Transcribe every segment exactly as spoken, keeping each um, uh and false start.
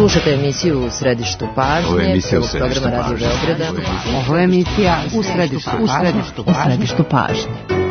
Slušate emisiju U središtu pažnje, prvog programa Radio Beograda. Ovo je emisija U središtu pažnje.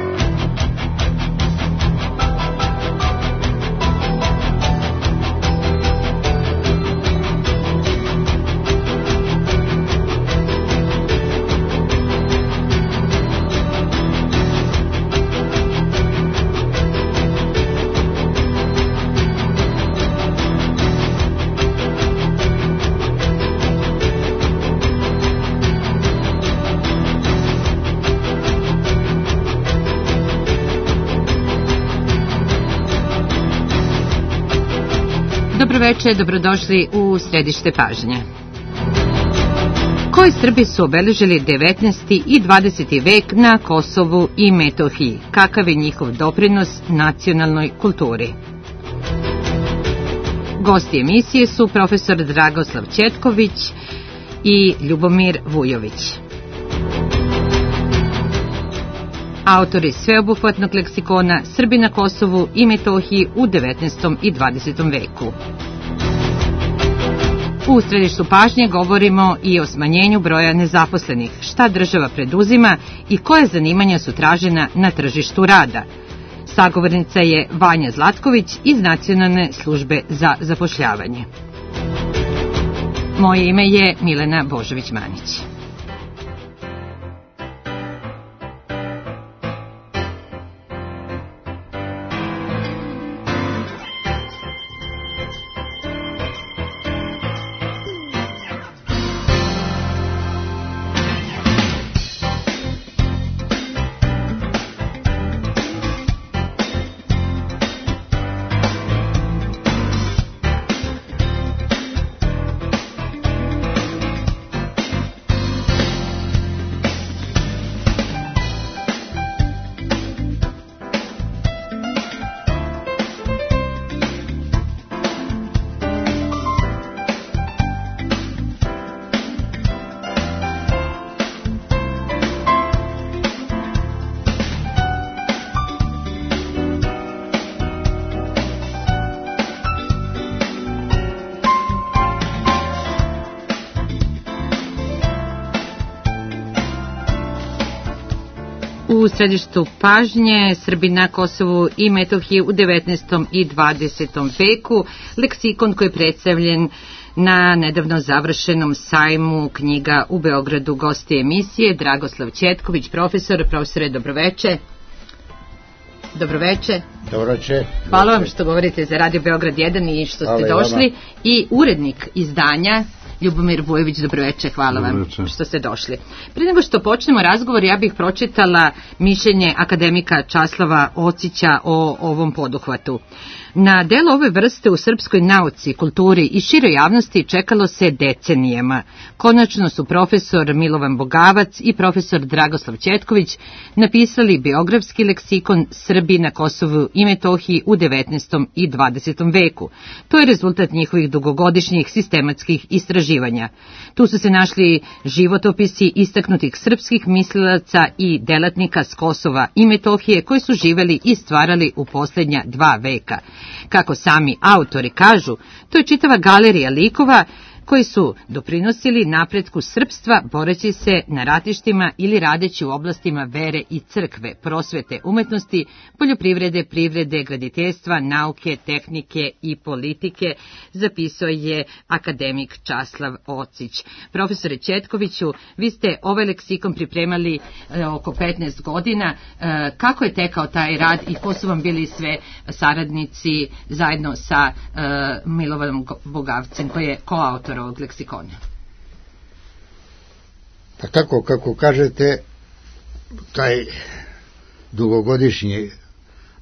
Dobroveče, dobrodošli u središte pažnje. Koji Srbi su obeležili devetnaesti i dvadeseti vek na Kosovu i Metohiji? Kakav je njihov doprinos nacionalnoj kulturi? Gosti emisije su profesor Dragoslav Ćetković i Ljubomir Vujović. Autori sveobuhvatnog leksikona Srbi na Kosovu i Metohiji u devetnaestom i dvadesetom veku. U središtu pažnje govorimo i o smanjenju broja nezaposlenih, šta država preduzima i koje zanimanja su tražena na tržištu rada. Sagovornica je Vanja Zlatković iz Nacionalne službe za zapošljavanje. Moje ime je Milena Božović-Manić. U središtu pažnje Srbi na Kosovu i Metohiji u devetnaestom i dvadesetom veku, leksikon koji je predstavljen na nedavno završenom sajmu knjiga u Beogradu. Gosti emisije Dragoslav Ćetković, profesor. Profesore, dobroveče. Dobroveče. Dobroveče. Hvala vam što govorite za Radio Beograd jedan i što ste došli. I urednik izdanja Ljubomir Vujović, dobroveče, hvala vam što ste došli. Prije nego što počnemo razgovor, ja bih pročitala mišljenje akademika Časlava Ocića o ovom poduhvatu. Na delo ove vrste u srpskoj nauci, kulturi i široj javnosti čekalo se decenijama. Konačno su profesor Milovan Bogavac i profesor Dragoslav Ćetković napisali biografski leksikon Srbi na Kosovu i Metohiji u devetnaestom i dvadesetom veku. To je rezultat njihovih dugogodišnjih sistematskih istraživanja. Tu su se našli životopisi istaknutih srpskih mislilaca i delatnika s Kosova i Metohije koji su živeli i stvarali u posljednja dva veka. Kako sami autori kažu, to je čitava galerija likova koji su doprinosili napretku srpstva boreći se na ratištima ili radeći u oblastima vere i crkve, prosvete, umetnosti, poljoprivrede, privrede, graditeljstva, nauke, tehnike i politike, zapisao je akademik Časlav Ocić. Profesore Ćetkoviću, vi ste ovaj leksikon pripremali e, oko petnaest godina. E, kako je tekao taj rad i ko su vam bili sve saradnici zajedno sa e, Milovanom Bogavcem, koji je koautor ovog leksikona? Pa tako, kako kažete, taj dugogodišnji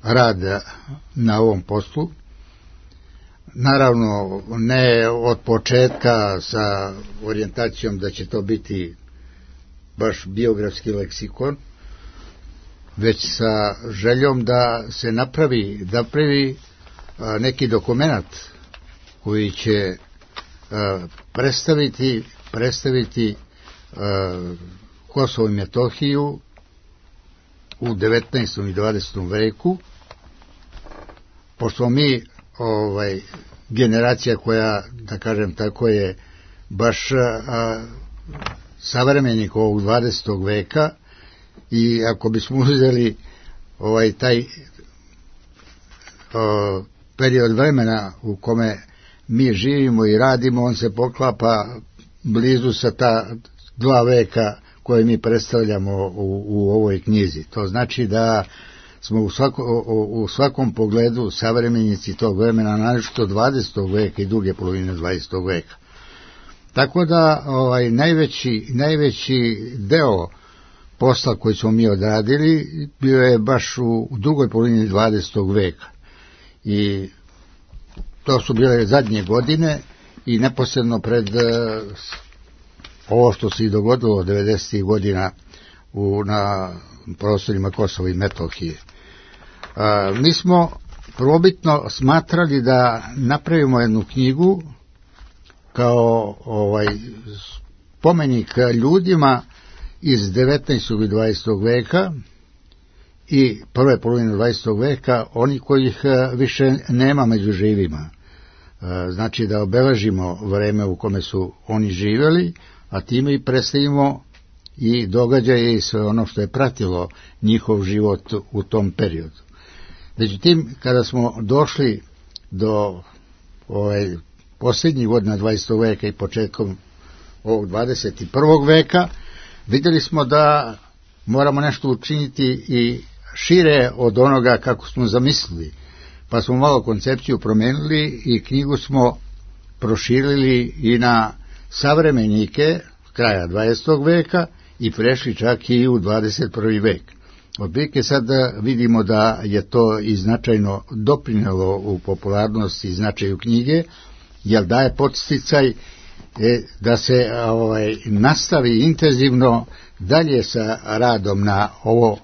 rad na ovom poslu, naravno ne od početka sa orijentacijom da će to biti baš biografski leksikon, već sa željom da se napravi, da pravi neki dokumenat koji će predstaviti, predstaviti Kosovo i Metohiju u devetnaestom i dvadesetom veku, pošto mi ovaj, generacija koja, da kažem tako, je baš a, savremenik ovog dvadesetog veka, i ako bismo uzeli ovaj taj o, period vremena u kome mi živimo i radimo, on se poklapa blizu sa ta dva veka koje mi predstavljamo u, u ovoj knjizi. To znači da smo u, svako, u, u svakom pogledu savremenici tog vremena, naročito dvadesetog veka i druge polovine dvadesetog veka. Tako da ovaj najveći, najveći deo posla koji smo mi odradili bio je baš u, u drugoj polovini dvadesetog veka. I to su bile zadnje godine i neposredno pred uh, ovo što se i dogodilo devedesetih godina u, na prostorima Kosova i Metohije. Uh, mi smo probitno smatrali da napravimo jednu knjigu kao ovaj spomenik ljudima iz devetnaestog i dvadesetog veka i prve polovine dvadesetog veka, oni kojih više nema među živima. Znači da obeležimo vreme u kome su oni živeli, a time i predstavimo i događaje i sve ono što je pratilo njihov život u tom periodu. Međutim, kada smo došli do ovaj, posljednjih godina dvadesetog veka i početkom ovog dvadeset prvog veka, vidjeli smo da moramo nešto učiniti i šire od onoga kako smo zamislili, pa smo malo koncepciju promenili i knjigu smo proširili i na savremenike kraja dvadesetog veka i prešli čak i u dvadeset prvi vek. Otprilike sad vidimo da je to i značajno doprinelo u popularnosti i značaju knjige, jer daje podsticaj da se ovaj, nastavi intenzivno dalje sa radom na ovo,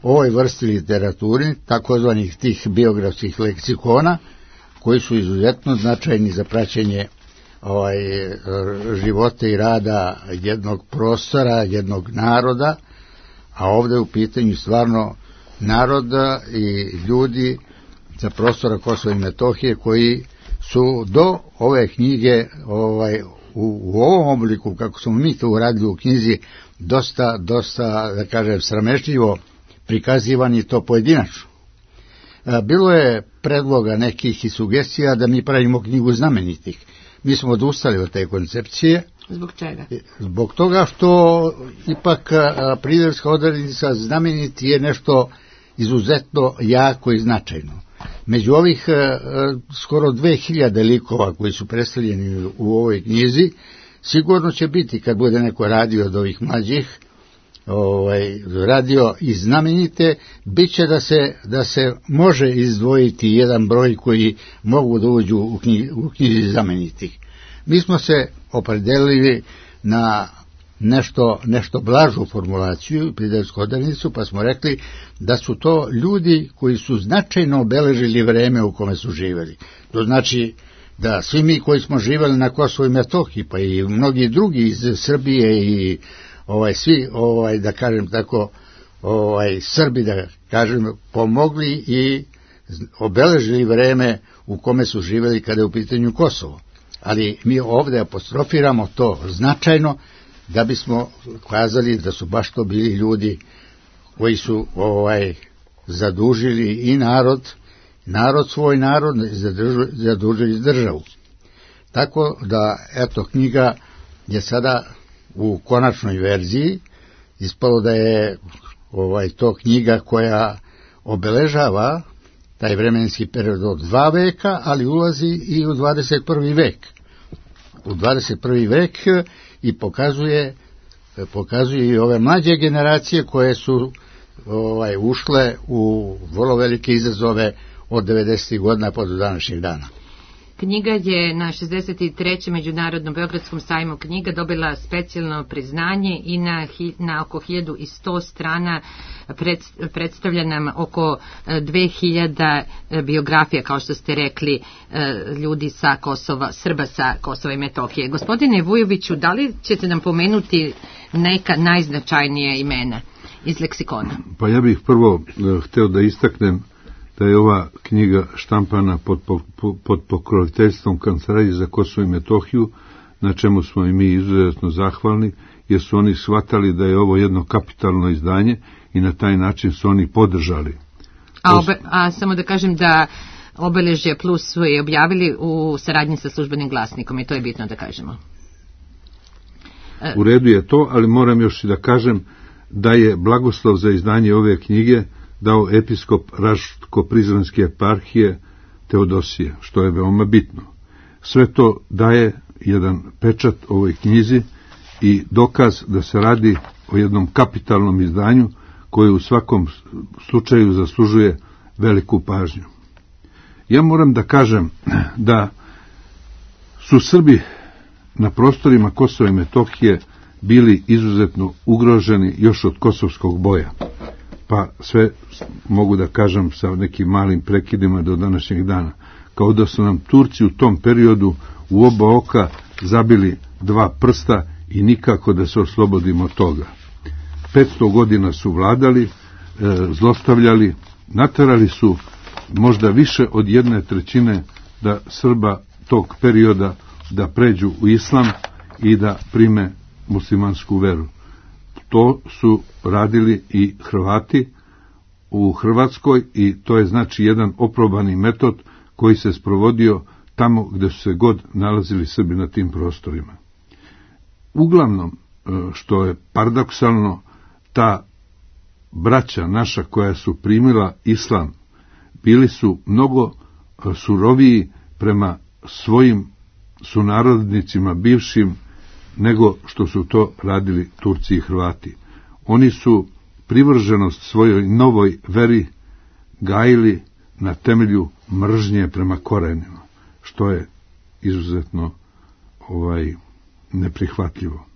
ovoj vrsti literaturi, takozvanih tih biografskih leksikona, koji su izuzetno značajni za praćenje ovaj, života i rada jednog prostora, jednog naroda, a ovdje u pitanju stvarno naroda i ljudi za prostora Kosova i Metohije koji su do ove knjige ovaj, u, u ovom obliku, kako smo mi to uradili u knjizi, dosta, dosta, da kažem, sramežljivo prikazivani to pojedinačno. Bilo je predloga nekih i sugestija da mi pravimo knjigu znamenitih. Mi smo odustali od te koncepcije. Zbog čega? Zbog toga što ipak priverska odrednica znameniti je nešto izuzetno jako i značajno. Među ovih skoro dve hiljade likova koji su predstavljeni u ovoj knjizi, sigurno će biti, kad bude neko radio od ovih mlađih, ovaj, radio i znamenite, bit će da se, da se može izdvojiti jedan broj koji mogu da uđu u, knjizi, u knjizi znamenitih. Mi smo se opredelili na nešto, nešto blažu formulaciju, pridevsku odrednicu, pa smo rekli da su to ljudi koji su značajno obeležili vreme u kome su živjeli. To znači da svi mi koji smo živjeli na Kosovu i Metohiji, pa i mnogi drugi iz Srbije i ovaj svi, ovaj da kažem tako, ovaj Srbi, da kažem, pomogli i obeležili vreme u kome su živjeli kada je u pitanju Kosovo. Ali mi ovdje apostrofiramo to značajno da bismo kazali da su baš to bili ljudi koji su ovaj zadužili i narod, narod svoj narod, zadužili državu. Tako da, eto, knjiga je sada u konačnoj verziji, ispalo da je ovaj to knjiga koja obeležava taj vremenski period od dva veka, ali ulazi i u dvadeset prvi vek. U dvadeset prvi vek i pokazuje, pokazuje i ove mlađe generacije koje su ovaj, ušle u vrlo velike izazove od devedesetih godina pa do današnjeg dana. Knjiga je na šezdeset trećem Međunarodnom Beogradskom sajmu knjiga dobila specijalno priznanje i na, na oko hiljadu sto strana pred, predstavlja nam oko dve hiljade biografija, kao što ste rekli, ljudi sa Kosova, Srba sa Kosova i Metohije. Gospodine Vujoviću, da li ćete nam pomenuti neka najznačajnije imena iz leksikona? Pa ja bih prvo hteo da istaknem da je ova knjiga štampana pod, pod, pod pokroviteljstvom Kancelarije za Kosovo i Metohiju, na čemu smo i mi izuzetno zahvalni, jer su oni shvatali da je ovo jedno kapitalno izdanje i na taj način su oni podržali. A, obe, a samo da kažem da Obeležje Plus su je objavili u saradnji sa Službenim glasnikom i to je bitno da kažemo. U redu je to, ali moram još i da kažem da je blagoslov za izdanje ove knjige dao episkop Raško-Prizrenske eparhije Teodosije, što je veoma bitno. Sve to daje jedan pečat ovoj knjizi i dokaz da se radi o jednom kapitalnom izdanju koje u svakom slučaju zaslužuje veliku pažnju. Ja moram da kažem da su Srbi na prostorima Kosova i Metohije bili izuzetno ugroženi još od kosovskog boja. Pa sve mogu da kažem sa nekim malim prekidima do današnjeg dana. Kao da su nam Turci u tom periodu u oba oka zabili dva prsta i nikako da se oslobodimo od toga. petsto godina su vladali, e, zlostavljali, naterali su možda više od jedne trećine da Srba tog perioda da pređu u islam i da prime muslimansku veru. To su radili i Hrvati u Hrvatskoj i to je znači jedan oprobani metod koji se sprovodio tamo gde su se god nalazili Srbi na tim prostorima. Uglavnom, što je paradoksalno, ta braća naša koja su primila islam bili su mnogo suroviji prema svojim sunarodnicima bivšim nego što su to radili Turci i Hrvati. Oni su privrženost svojoj novoj veri gajili na temelju mržnje prema korenima, što je izuzetno ovaj neprihvatljivo.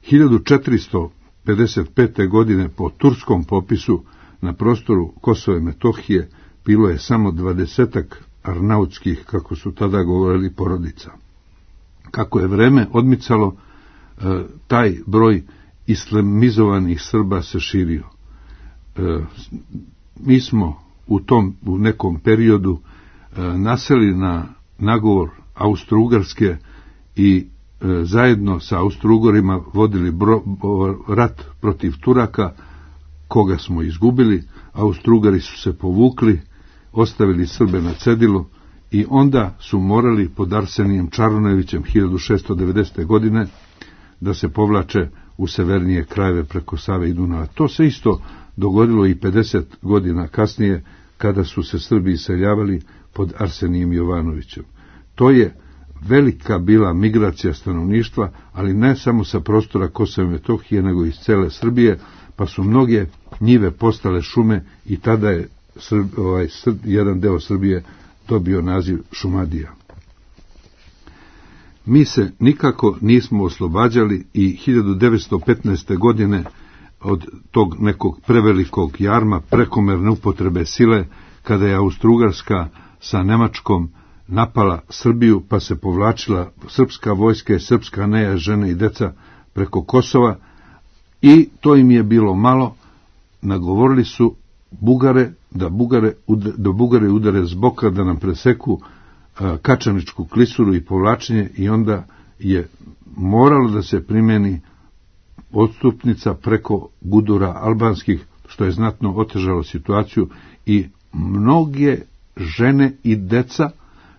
hiljadu četiristo pedeset pete. godine po turskom popisu na prostoru Kosova i Metohije bilo je samo dvadesetak arnautskih, kako su tada govorili, porodica. Kako je vreme odmicalo, taj broj islamizovanih Srba se širio. Mi smo u tom u nekom periodu naseli na nagovor Austro-Ugarske i zajedno sa Austro-Ugorima vodili bro, rat protiv Turaka, koga smo izgubili. Austro-Ugari su se povukli, ostavili Srbe na cedilu i onda su morali pod Arsenijem Čarnojevićem hiljadu šesto devedesete. godine da se povlače u severnije krajeve preko Save i Dunava. To se isto dogodilo i pedeset godina kasnije kada su se Srbi iseljavali pod Arsenijem Jovanovićem. To je velika bila migracija stanovništva, ali ne samo sa prostora Kosova i Metohije, nego iz cele Srbije, pa su mnoge njive postale šume i tada je Srb, ovaj, Srb, jedan deo Srbije dobio naziv Šumadija. Mi se nikako nismo oslobađali i hiljadu devetsto petnaeste. godine od tog nekog prevelikog jarma prekomerne upotrebe sile, kada je Austro-Ugarska sa Nemačkom napala Srbiju, pa se povlačila srpska vojska i srpska neja, žene i deca preko Kosova, i to im je bilo malo. Nagovorili su Bugare da Bugare, da Bugare udare s boka, da nam preseku a, Kačaničku klisuru i povlačenje, i onda je moralo da se primeni odstupnica preko gudura albanskih, što je znatno otežalo situaciju, i mnoge žene i deca,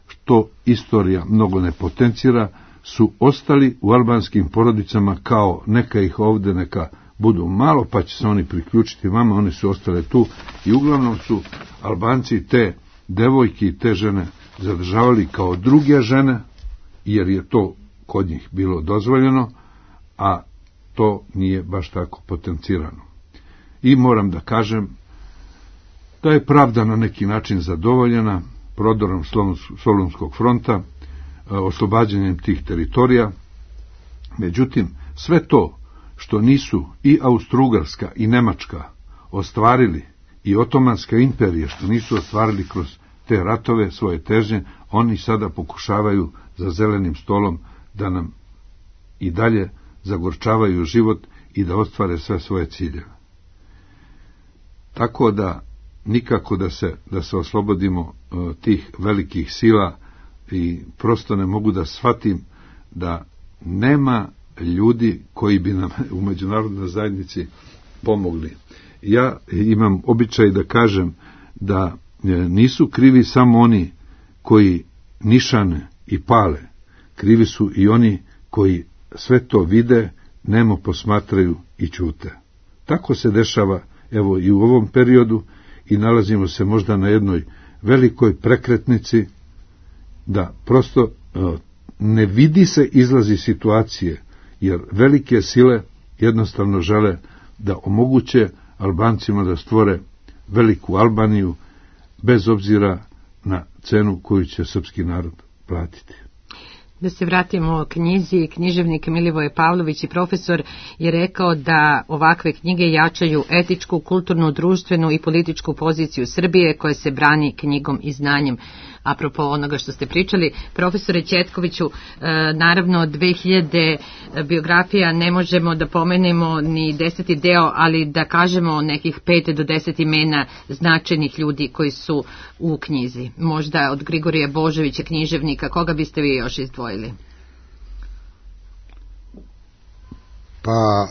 što istorija mnogo ne potencira, su ostali u albanskim porodicama kao neka ih ovde, neka budu malo, pa će se oni priključiti vama. One su ostale tu i uglavnom su Albanci te devojke i te žene zadržavali kao druge žene, jer je to kod njih bilo dozvoljeno, a to nije baš tako potencirano. I moram da kažem da je pravda na neki način zadovoljena prodorom Solunskog fronta, oslobađanjem tih teritorija. Međutim, sve to što nisu i Austro-Ugarska i Nemačka ostvarili, i Otomanska imperija što nisu ostvarili kroz te ratove svoje težnje, oni sada pokušavaju za zelenim stolom da nam i dalje zagorčavaju život i da ostvare sve svoje ciljeve. Tako da nikako da se, da se oslobodimo uh, tih velikih sila i prosto ne mogu da shvatim da nema ljudi koji bi nam u međunarodnoj zajednici pomogli. Ja imam običaj da kažem da nisu krivi samo oni koji nišane i pale, krivi su i oni koji sve to vide, nemo posmatraju i ćute. Tako se dešava evo i u ovom periodu i nalazimo se možda na jednoj velikoj prekretnici da prosto ne vidi se izlazi situacije, jer velike sile jednostavno žele da omoguće Albancima da stvore veliku Albaniju, bez obzira na cenu koju će srpski narod platiti. Da se vratimo knjizi, književnik Milivoje Pavlović i profesor je rekao da ovakve knjige jačaju etičku, kulturnu, društvenu i političku poziciju Srbije koja se brani knjigom i znanjem. Apropo onoga što ste pričali, profesore Ćetkoviću, naravno dve hiljade biografija ne možemo da pomenemo ni deseti deo, ali da kažemo nekih pet do deset imena značajnih ljudi koji su u knjizi. Možda od Grigorija Božovića, književnika, koga biste vi još izdvojili? Pa...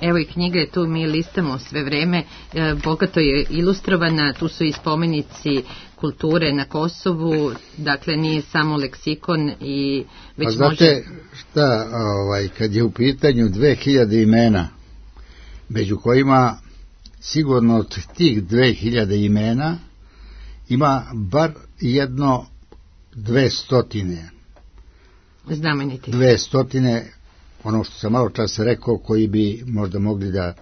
Evo i knjiga je tu, mi listamo sve vreme, e, bogato je ilustrovana, tu su i spomenici kulture na Kosovu, dakle nije samo leksikon i već A znate može... šta, ovaj, kad je u pitanju dve hiljade imena, među kojima sigurno od tih dve hiljade imena ima bar jedno dve stotine. Znameniti. Dve stotine, ono što sam malo čas rekao, koji bi možda mogli da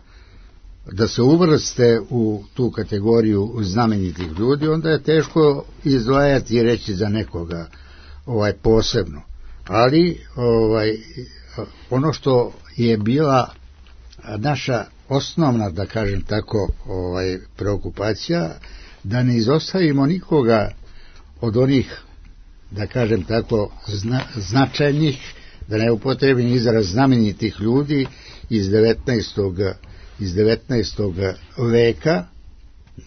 da se uvrste u tu kategoriju znamenitih ljudi, onda je teško izdvajati i reći za nekoga ovaj posebno. Ali ovaj ono što je bila naša osnovna, da kažem tako, ovaj preokupacija, da ne izostavimo nikoga od onih, da kažem tako, zna, značajnih, da ne upotrebim izraz znamenitih ljudi iz devetnaestog iz devetnaestog veka,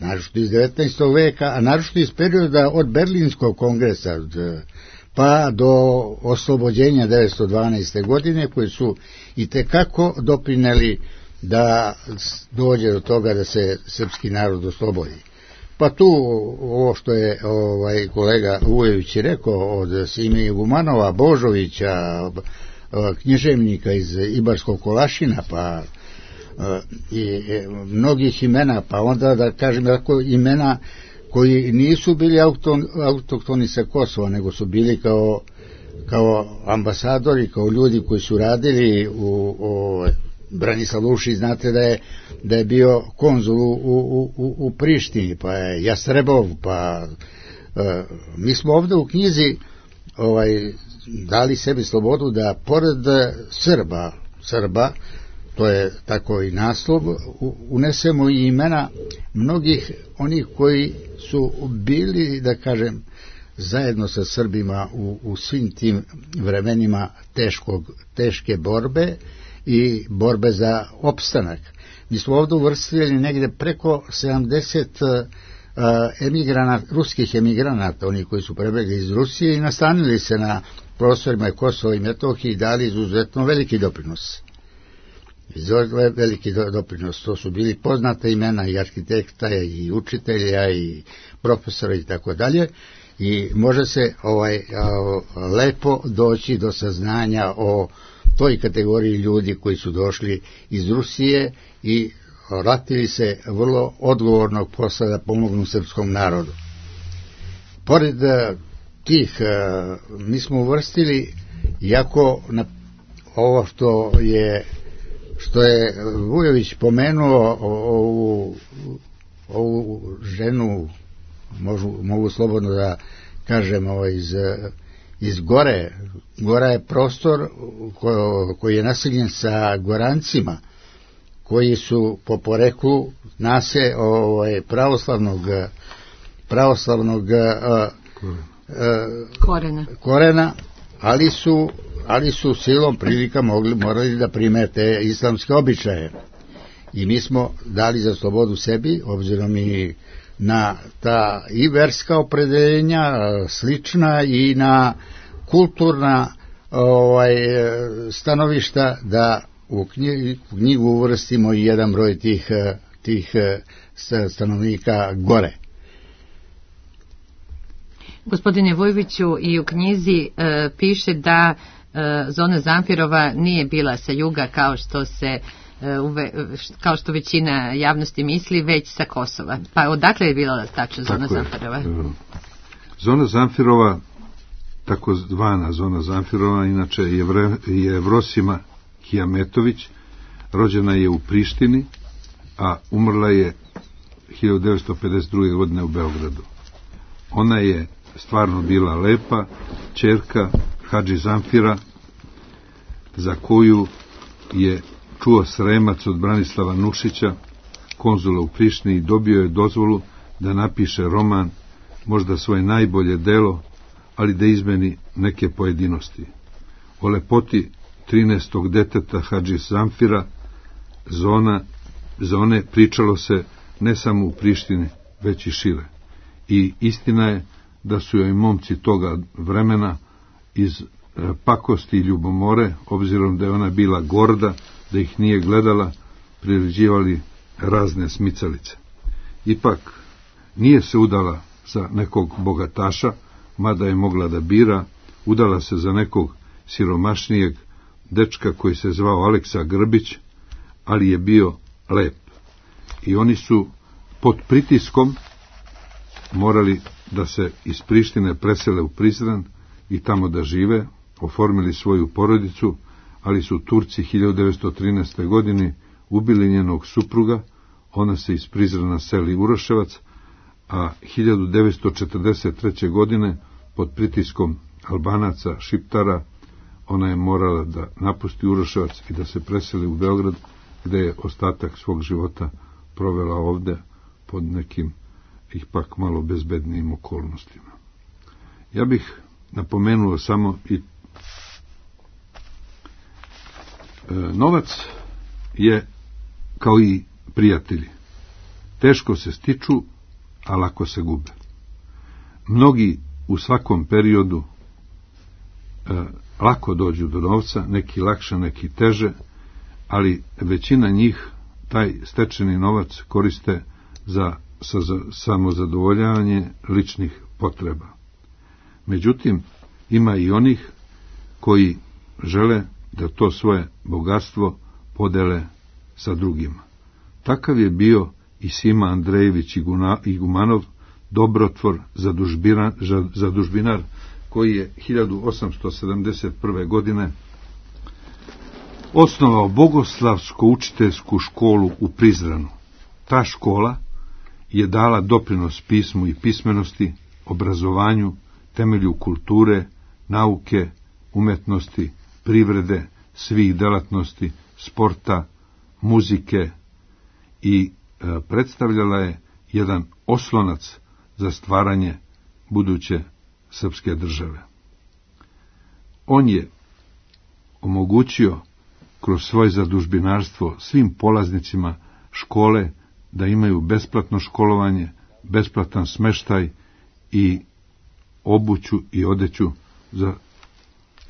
naročito iz devetnaestog veka, a naročito iz perioda od Berlinskog kongresa pa do oslobođenja devetsto dvanaeste. godine, koji su i tekako doprineli da dođe do toga da se srpski narod oslobodi. Pa tu ovo što je ovaj kolega Vujović rekao od Sime Igumanova, Božovića, književnika iz Ibarskog Kolašina, pa i mnogih imena, pa onda da kažem tako imena koji nisu bili auton, autoktoni sa Kosova, nego su bili kao, kao ambasadori, kao ljudi koji su radili u, u Branislav Lušić, znate da je, da je bio konzul u, u, u, u Prištini, pa je Jastrebov, pa e, mi smo ovde u knjizi ovaj, dali sebi slobodu da pored Srba, Srba, to je tako i naslov, unesemo i imena mnogih onih koji su bili, da kažem, zajedno sa Srbima u, u svim tim vremenima teškog, teške borbe i borbe za opstanak. Mi smo ovdje uvrstili negde preko sedamdeset emigranata, ruskih emigranata, oni koji su prebegli iz Rusije i nastanili se na prostorima Kosova i Metohije i dali izuzetno veliki doprinos. Izuzetno veliki doprinos, to su bili poznata imena i arhitekta i učitelja i profesora i tako dalje, i može se ovaj lepo doći do saznanja o toj kategoriji ljudi koji su došli iz Rusije i ratili se vrlo odgovornog posla da pomognu srpskom narodu. Pored tih, mi smo uvrstili, jako na ovo što je što je Vujović pomenuo, ovu, ovu ženu, mogu, mogu slobodno da kažem, ovo iz, iz Gore. Gora je prostor ko, koji je naseljen sa Gorancima, koji su po poreklu nase ovaj, pravoslavnog pravoslavnog a, a, korena. korena, ali su ali su silom prilika mogli, morali da prime te islamske običaje. I mi smo dali za slobodu sebi, obzirom i na ta i verska opredeljenja slična i na kulturna ovaj, stanovišta, da u knjigu uvrstimo i jedan broj tih, tih stanovnika gore. Gospodine Vujoviću, i u knjizi e, piše da e, zona Zamfirova nije bila sa juga kao što se e, uve, kao što većina javnosti misli, već sa Kosova. Pa odakle je bila tačno zona Zamfirova? Zona Zamfirova, tako zvana zona Zamfirova, inače je, je Evrosima Kijametović, rođena je u Prištini, a umrla je hiljadu devetsto pedeset druge. godine u Beogradu. Ona je stvarno bila lepa, ćerka Hadži Zamfira, za koju je čuo Sremac od Branislava Nušića, konzula u Prištini, i dobio je dozvolu da napiše roman, možda svoje najbolje delo, ali da izmeni neke pojedinosti. O lepoti trinaestog deteta Hadži Zamfira, zona, zone, pričalo se ne samo u Prištini, već i šire. I istina je da su joj momci toga vremena iz pakosti i ljubomore, obzirom da je ona bila gorda, da ih nije gledala, priređivali razne smicalice. Ipak nije se udala za nekog bogataša, mada je mogla da bira, udala se za nekog siromašnijeg dečka koji se zvao Aleksa Grbić, ali je bio lep. I oni su pod pritiskom morali da se iz Prištine presele u Prizren i tamo da žive, oformili svoju porodicu, ali su Turci hiljadu devetsto trinaeste. godine ubili njenog supruga, ona se iz Prizrena seli u Uroševac, a hiljadu devetsto četrdeset treće. godine pod pritiskom Albanaca, Šiptara, ona je morala da napusti Uroševac i da se preseli u Beograd, gde je ostatak svog života provela ovde pod nekim ipak malo bezbednijim okolnostima. Ja bih napomenuo samo i e, novac je kao i prijatelji. Teško se stiču, a lako se gube. Mnogi u svakom periodu e, lako dođu do novca, neki lakše, neki teže, ali većina njih taj stečeni novac koriste za, za, za samozadovoljavanje ličnih potreba. Međutim, ima i onih koji žele da to svoje bogatstvo podele sa drugima. Takav je bio i Sima Andrejević Igumanov, dobrotvor, zadužbinar, zadužbinar, koji je hiljadu osamsto sedamdeset prve. godine osnovao bogoslavsko-učiteljsku školu u Prizrenu. Ta škola je dala doprinos pismu i pismenosti, obrazovanju, temelju kulture, nauke, umetnosti, privrede, svih delatnosti, sporta, muzike i e, predstavljala je jedan oslonac za stvaranje buduće srpske države. On je omogućio kroz svoje zadužbinarstvo svim polaznicima škole da imaju besplatno školovanje, besplatan smeštaj i obuću i odeću za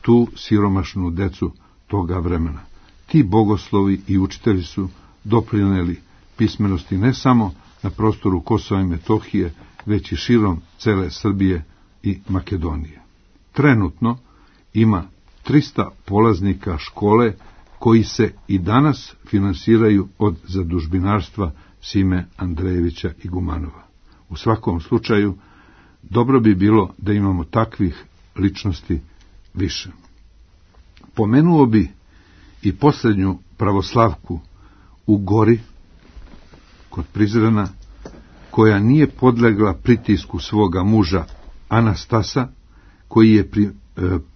tu siromašnu decu toga vremena. Ti bogoslovi i učitelji su doprineli pismenosti ne samo na prostoru Kosova i Metohije, već i širom cele Srbije i Makedonije. Trenutno ima trista polaznika škole koji se i danas finansiraju od zadužbinarstva Sime Andrejevića Igumanova. U svakom slučaju, dobro bi bilo da imamo takvih ličnosti više. Pomenuo bi i posljednju pravoslavku u Gori, kod Prizrena, koja nije podlegla pritisku svoga muža Anastasa, koji je pri, e,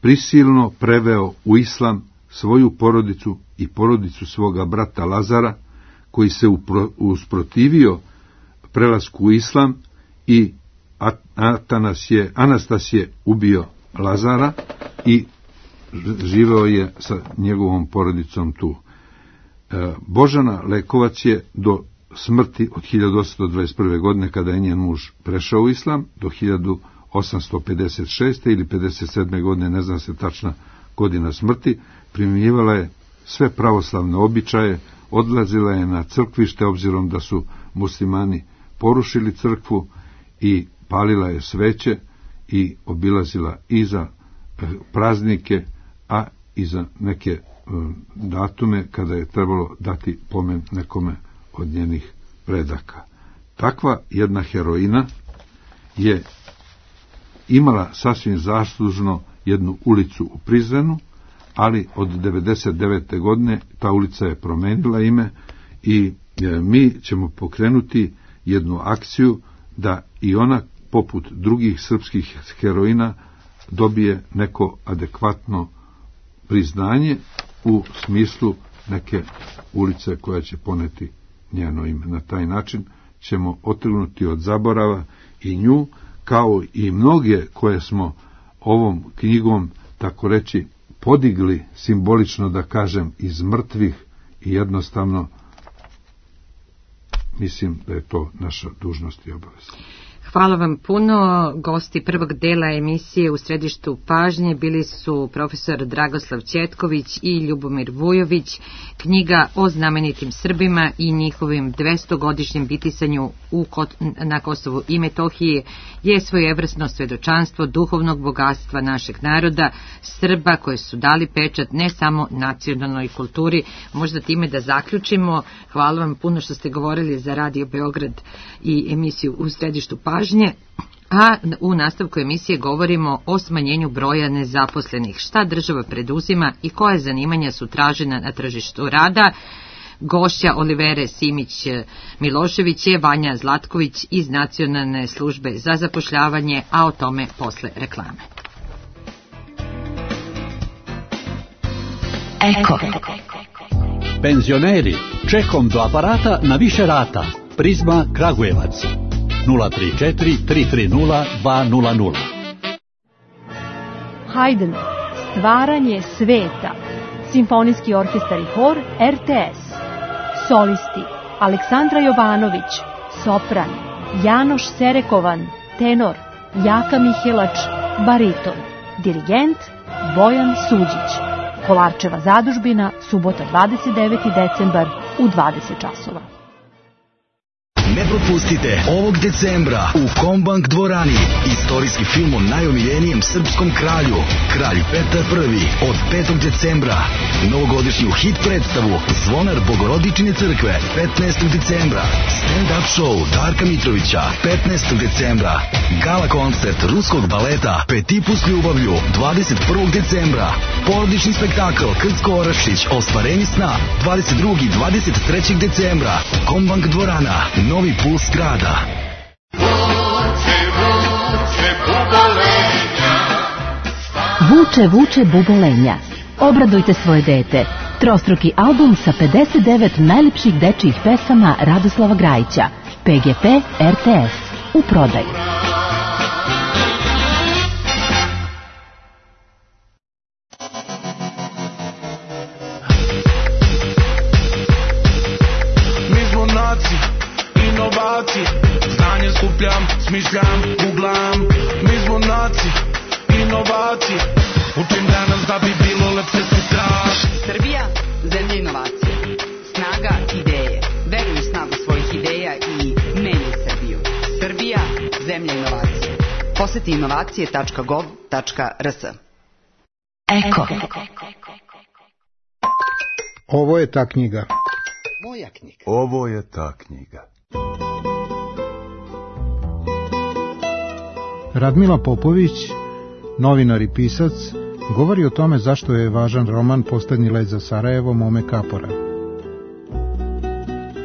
prisilno preveo u islam svoju porodicu i porodicu svoga brata Lazara, koji se upro, usprotivio prelasku u islam, i Atanas je, Anastas je ubio Lazara i živeo je sa njegovom porodicom tu. Božana Lekovac je do smrti od hiljadu osamsto dvadeset prve. godine, kada je njen muž prešao u islam, do hiljadu osamsto pedeset šeste. ili pedeset sedme. godine, ne zna se tačna godina smrti, primjenjivala je sve pravoslavne običaje, odlazila je na crkvište, obzirom da su muslimani porušili crkvu, i palila je sveće i obilazila i za praznike, a i za neke datume kada je trebalo dati pomen nekome od njenih predaka. Takva jedna heroina je imala sasvim zaslužno jednu ulicu u Prizrenu, ali od devedeset devete. godine ta ulica je promenila ime i mi ćemo pokrenuti jednu akciju da i ona, poput drugih srpskih heroina, dobije neko adekvatno priznanje u smislu neke ulice koja će poneti njeno ime. Na taj način ćemo otrgnuti od zaborava i nju, kao i mnoge koje smo ovom knjigom, tako reći, podigli, simbolično da kažem, iz mrtvih, i jednostavno mislim da je to naša dužnost i obaveza. Hvala vam puno. Gosti prvog dela emisije U središtu pažnje bili su profesor Dragoslav Ćetković i Ljubomir Vujović. Knjiga o znamenitim Srbima i njihovim dvestogodišnjem bitisanju u, na Kosovu i Metohiji je svojevrsno svedočanstvo duhovnog bogatstva našeg naroda, Srba, koji su dali pečat ne samo nacionalnoj kulturi. Možda time da zaključimo. Hvala vam puno što ste govorili za Radio Beograd i emisiju U središtu pažnje. A u nastavku emisije govorimo o smanjenju broja nezaposlenih. Šta država preduzima i koje zanimanja su tražena na tržištu rada? Gošća Olivere Simić-Milošević je Vanja Zlatković iz Nacionalne službe za zapošljavanje, a o tome posle reklame. Eko. Penzioneri, čekom do aparata na više rata. Prizma Kragujevac. nula tri četiri tri tri nula dva nula nula. Haydn, Stvaranje sveta. Simfonijski orkestar i hor R T S. Solisti: Aleksandra Jovanović, sopran; Janoš Serekovan, tenor; Jaka Mihelač, bariton; dirigent Bojan Suđić. Kolarčeva zadužbina, subota dvadeset deveti decembar u dvadeset časova. Ne propustite ovog decembra u Kombank dvorani istorijski film o najomiljenijem srpskom kralju, Kralj Petar Prvi, od petog decembra. Novogodišnju hit predstavu Zvonar Bogorodičine crkve petnaestog decembra. Stand-up show Darka Mitrovića petnaestog decembra. Gala koncert ruskog baleta Petit s ljubavlju dvadeset prvog decembra. Porodični spektakl Krcko Orašić Ostvarenje sna dvadeset drugog i dvadeset trećeg decembra. Kombank dvorana, novi puls grada. Vuče, vuče bubolenja. Obradujte svoje dete. Trostruki album sa pedeset devet najlepših dečijih pesama Radoslava Grajića. P G P R T S. U prodaju. Znanje skupljam, smišljam, googlam. Mi smo naci, inovacije. Učim danas da bi bilo lepše sutra. Srbija, zemlja inovacije. Snaga ideje. Veruj u snagu svojih ideja i menjaj Srbiju. Srbija, zemlja inovacije. Poseti inovacije tačka gov tačka r s. Eko. Ovo je ta knjiga. Moja knjiga. Ovo je ta knjiga. Radmila Popović, novinar i pisac, govori o tome zašto je važan roman Poslednji let za Sarajevo Mome Kapora.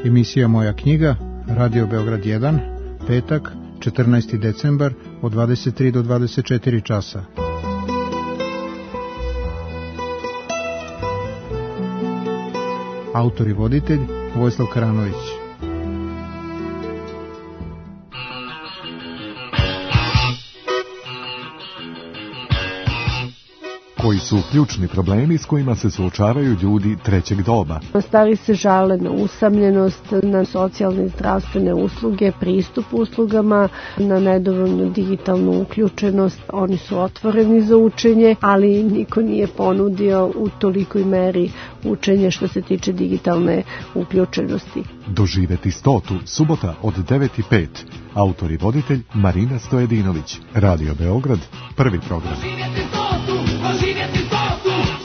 Emisija Moja knjiga, Radio Beograd jedan, petak, četrnaesti decembar, od dvadeset tri do dvadeset četiri časa. Autor i voditelj Vojislav Karanović. Koji su ključni problemi s kojima se suočavaju ljudi trećeg doba? Stari se žale na usamljenost, na socijalne i zdravstvene usluge, pristup uslugama, na nedovoljnu digitalnu uključenost. Oni su otvoreni za učenje, ali niko nije ponudio u tolikoj meri učenje što se tiče digitalne uključenosti. Doživeti stotu, subota od devet i pet. Autor i voditelj Marina Stojedinović. Radio Beograd, prvi program. Doživjeti stotu, doživjeti stotu.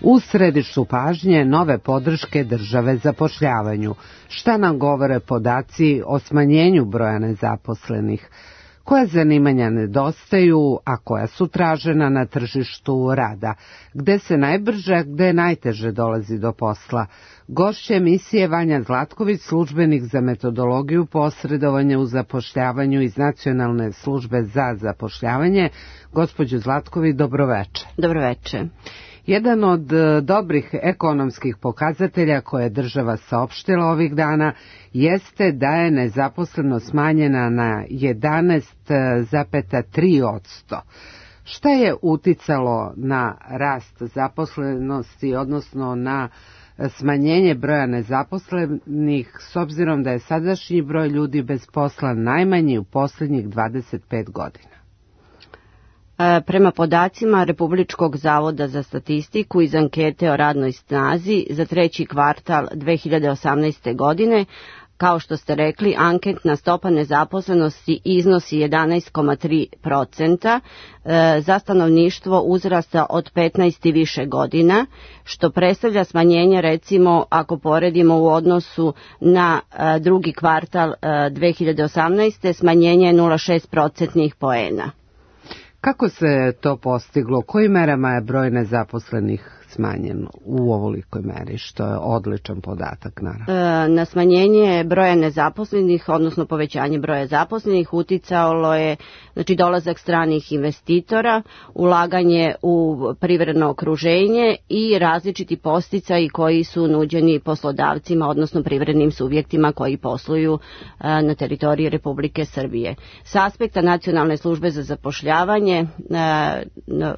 U središtu pažnje nove podrške države zapošljavanju. Šta nam govore podaci o smanjenju broja nezaposlenih? Koja zanimanja nedostaju, a koja su tražena na tržištu rada? Gde se najbrže, gde najteže dolazi do posla? Gošća emisije Vanja Zlatković, službenik za metodologiju posredovanja u zapošljavanju iz Nacionalne službe za zapošljavanje. Gospođo Zlatković, dobroveče. Dobroveče. Jedan od dobrih ekonomskih pokazatelja koje je država saopštila ovih dana jeste da je nezaposlenost smanjena na jedanaest zarez tri posto. Šta je uticalo na rast zaposlenosti, odnosno na smanjenje broja nezaposlenih, s obzirom da je sadašnji broj ljudi bez posla najmanji u posljednjih dvadeset pet godina? Prema podacima Republičkog zavoda za statistiku iz ankete o radnoj snazi za treći kvartal dve hiljade osamnaeste. godine, kao što ste rekli, anketna stopa nezaposlenosti iznosi jedanaest zarez tri posto za stanovništvo uzrasta od petnaest i više godina, što predstavlja smanjenje, recimo, ako poredimo u odnosu na drugi kvartal dve hiljade osamnaeste. smanjenje je nula zarez šest procentnih poena. Kako se to postiglo? Kojim merama je broj nezaposlenih smanjen u ovolikoj meri, što je odličan podatak, naravno? Na smanjenje broja nezaposlenih, odnosno povećanje broja zaposlenih, uticalo je, znači, dolazak stranih investitora, ulaganje u privredno okruženje i različiti podsticaji koji su nuđeni poslodavcima, odnosno privrednim subjektima koji posluju na teritoriji Republike Srbije. S aspekta Nacionalne službe za zapošljavanje,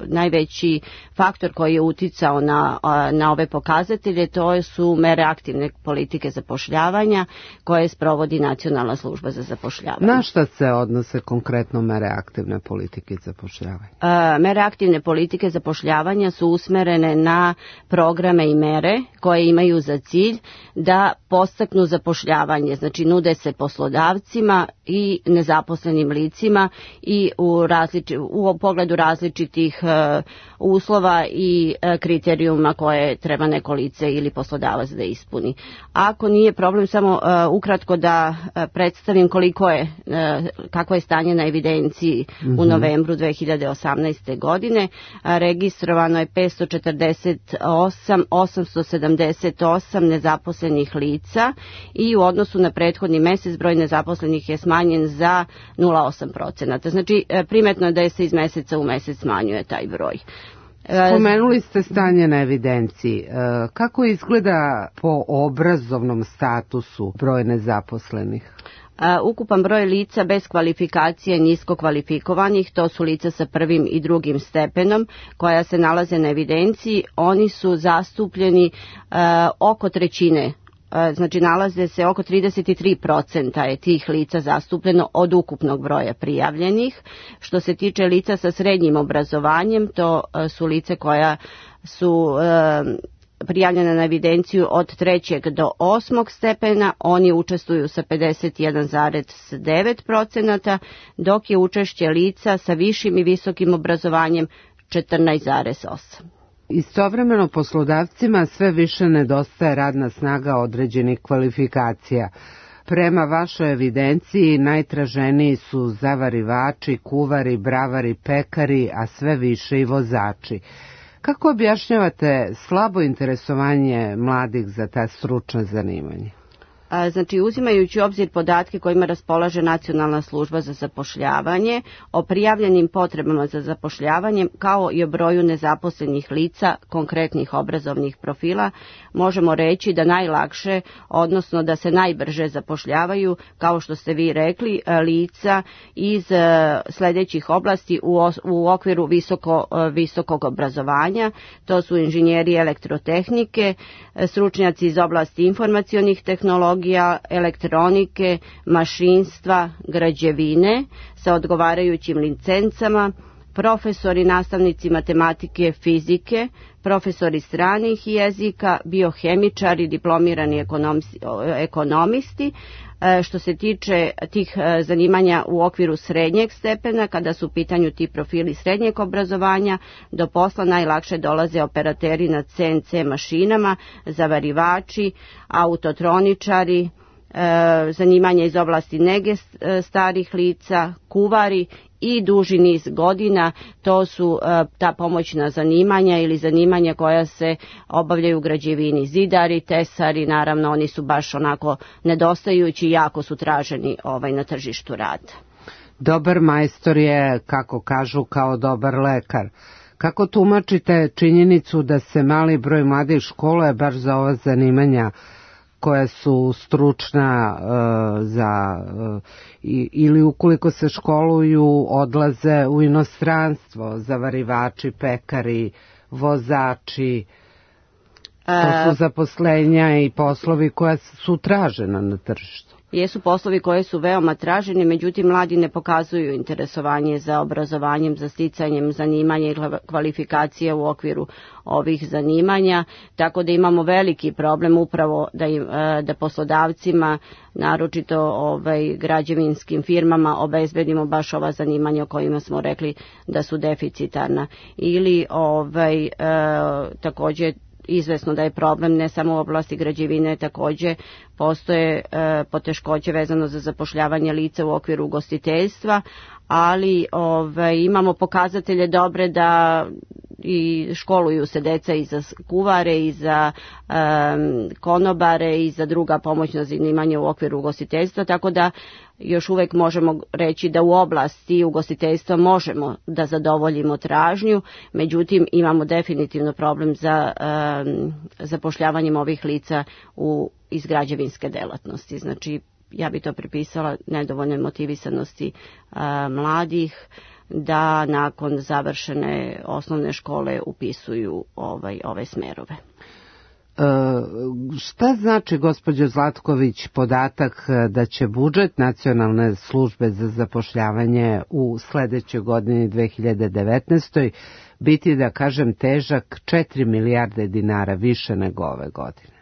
najveći faktor koji je uticao Na, na ove pokazatelje, to su mere aktivne politike zapošljavanja koje sprovodi Nacionalna služba za zapošljavanje. Na šta se odnose konkretno mere aktivne politike zapošljavanja? E, mere aktivne politike zapošljavanja su usmerene na programe i mere koje imaju za cilj da podstaknu zapošljavanje, znači nude se poslodavcima i nezaposlenim licima i u, različi, u pogledu različitih e, uslova i e, kriterijuma koje treba neko lice ili poslodavac da ispuni. Ako nije problem, samo uh, ukratko da uh, predstavim koliko je, uh, kako je stanje na evidenciji mm-hmm. u novembru dve hiljade osamnaeste. godine. Uh, registrovano je petsto četrdeset osam hiljada osamsto sedamdeset osam nezaposlenih lica i u odnosu na prethodni mesec broj nezaposlenih je smanjen za nula zarez osam procenata. Znači, uh, primetno je da se iz meseca u mesec smanjuje taj broj. Spomenuli ste stanje na evidenciji. Kako izgleda po obrazovnom statusu broj nezaposlenih? Ukupan broj lica bez kvalifikacije nisko kvalifikovanih, to su lica sa prvim i drugim stepenom koja se nalaze na evidenciji, oni su zastupljeni uh, oko trećine. Znači, nalaze se oko trideset tri posto je tih lica zastupljeno od ukupnog broja prijavljenih. Što se tiče lica sa srednjim obrazovanjem, to su lice koja su e, prijavljena na evidenciju od trećeg do osmog stepena, oni učestvuju sa pedeset jedan zarez devet posto, dok je učešće lica sa višim i visokim obrazovanjem četrnaest zarez osam. Istovremeno poslodavcima sve više nedostaje radna snaga određenih kvalifikacija. Prema vašoj evidenciji najtraženiji su zavarivači, kuvari, bravari, pekari, a sve više i vozači. Kako objašnjavate slabo interesovanje mladih za ta stručna zanimanja? Znači, uzimajući u obzir podatke kojima raspolaže Nacionalna služba za zapošljavanje o prijavljenim potrebama za zapošljavanjem kao i o broju nezaposlenih lica konkretnih obrazovnih profila, možemo reći da najlakše, odnosno da se najbrže zapošljavaju, kao što ste vi rekli, lica iz sljedećih oblasti u, u okviru visoko, visokog obrazovanja. To su inženjeri elektrotehnike, stručnjaci iz oblasti informacionih tehnologija, elektronike, mašinstva, građevine sa odgovarajućim licencama, profesori, nastavnici matematike, fizike, profesori stranih jezika, biohemičari, diplomirani ekonomisti. Što se tiče tih zanimanja u okviru srednjeg stepena, kada su u pitanju ti profili srednjeg obrazovanja, do posla najlakše dolaze operateri na C N C mašinama, zavarivači, autotroničari, zanimanja iz oblasti nege starih lica, kuvari i duži niz godina. To su ta pomoćna zanimanja ili zanimanja koja se obavljaju u građevini, zidari, tesari, naravno oni su baš onako nedostajući i jako su traženi ovaj, na tržištu rada. Dobar majstor je, kako kažu, kao dobar lekar. Kako tumačite činjenicu da se mali broj mladih školuje baš za ova zanimanja koja su stručna uh, za uh, i, ili ukoliko se školuju odlaze u inostranstvo, zavarivači, pekari, vozači, to su zaposlenja i poslovi koja su tražena na tržištu. Jesu poslovi koje su veoma traženi, međutim mladi ne pokazuju interesovanje za obrazovanjem, za sticanjem zanimanja i kvalifikacije u okviru ovih zanimanja, tako da imamo veliki problem upravo da, im, da poslodavcima, naročito ovaj, građevinskim firmama, obezbedimo baš ova zanimanja o kojima smo rekli da su deficitarna. Ili ovaj, e, također izvesno da je problem ne samo u oblasti građevine, također postoje e, poteškoće vezano za zapošljavanje lica u okviru ugostiteljstva, ali ovaj, imamo pokazatelje dobre da i školuju se deca i za kuvare i za um, konobare i za druga pomoćna zanimanja u okviru ugostiteljstva, tako da još uvek možemo reći da u oblasti ugostiteljstva možemo da zadovoljimo tražnju, međutim imamo definitivno problem za um, zapošljavanjem ovih lica u iz građevinske delatnosti. Znači ja bi to pripisala nedovoljnoj motivisanosti a, mladih da nakon završene osnovne škole upisuju ovaj, ove smerove. E, šta znači, gospođo Zlatković, podatak da će budžet Nacionalne službe za zapošljavanje u sledećoj godini dve hiljade devetnaestoj biti, da kažem, težak četiri milijarde dinara više nego ove godine?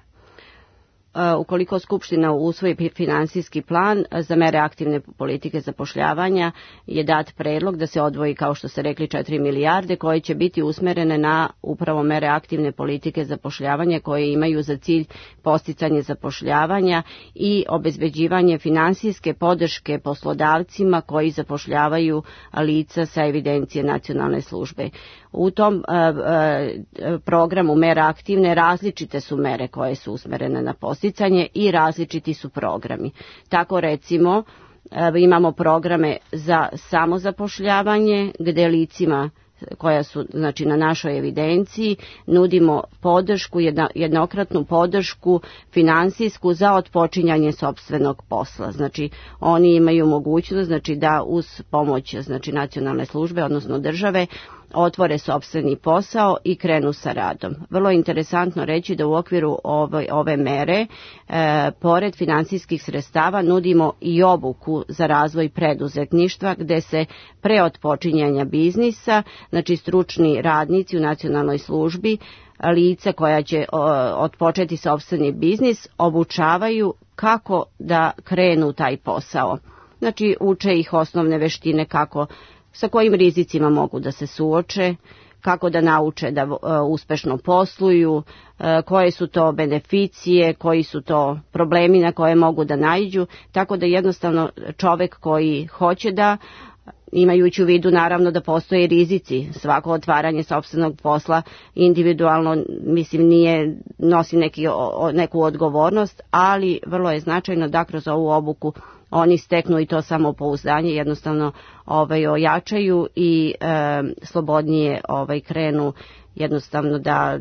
Ukoliko Skupština usvoji finansijski plan za mere aktivne politike zapošljavanja, je dat predlog da se odvoji, kao što ste rekli, četiri milijarde koje će biti usmerene na upravo mere aktivne politike zapošljavanja koje imaju za cilj posticanje zapošljavanja i obezbeđivanje finansijske podrške poslodavcima koji zapošljavaju lica sa evidencije Nacionalne službe. U tom uh, uh, programu mera aktivne različite su mere koje su usmerene na posticanje i različiti su programi. Tako recimo uh, imamo programe za samozapošljavanje gde licima koja su znači na našoj evidenciji nudimo podršku, jedna, jednokratnu podršku finansijsku za otpočinjanje sopstvenog posla. Znači oni imaju mogućnost znači da uz pomoć znači Nacionalne službe, odnosno države, otvore sopstveni posao i krenu sa radom. Vrlo interesantno reći da u okviru ove, ove mere, e, pored finansijskih sredstava, nudimo i obuku za razvoj preduzetništva, gde se pre otpočinjanja biznisa, znači stručni radnici u Nacionalnoj službi, lica koja će o, otpočeti sopstveni biznis, obučavaju kako da krenu taj posao. Znači uče ih osnovne veštine kako sa kojim rizicima mogu da se suoče, kako da nauče da uh, uspešno posluju, uh, koje su to beneficije, koji su to problemi na koje mogu da naiđu, tako da jednostavno čovek koji hoće da imajući u vidu naravno da postoje rizici. Svako otvaranje sopstvenog posla individualno, mislim, nije, nosi neki, o, neku odgovornost, ali vrlo je značajno da kroz ovu obuku oni steknu i to samopouzdanje, jednostavno ovaj, ojačaju i e, slobodnije ovaj, krenu, jednostavno da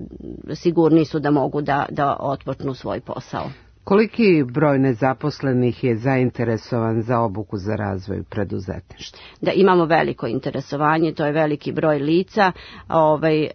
sigurni su da mogu da, da otpočnu svoj posao. Koliki broj nezaposlenih je zainteresovan za obuku za razvoj preduzetništva? Da, imamo veliko interesovanje, to je veliki broj lica, ovaj, e,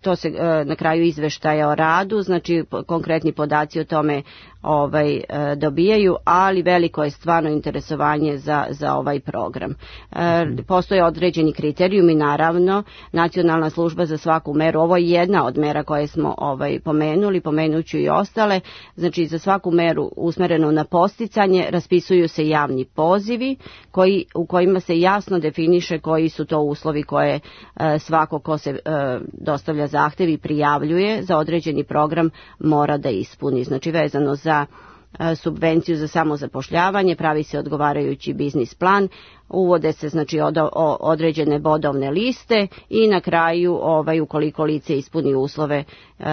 to se e, na kraju izveštaja o radu, znači konkretni podaci o tome ovaj, e, dobijaju, ali veliko je stvarno interesovanje za, za ovaj program. E, postoje određeni kriterijumi, naravno, Nacionalna služba za svaku meru, ovo je jedna od mera koje smo ovaj, pomenuli, pomenuću i ostale, znači za svaku meru usmerenu na posticanje raspisuju se javni pozivi koji, u kojima se jasno definiše koji su to uslovi koje e, svako ko se e, dostavlja zahtev i prijavljuje za određeni program mora da ispuni. Znači vezano za subvenciju za samozapošljavanje, pravi se odgovarajući biznis plan, uvode se znači od, o, određene bodovne liste i na kraju ovaj, ukoliko lice ispuni uslove e,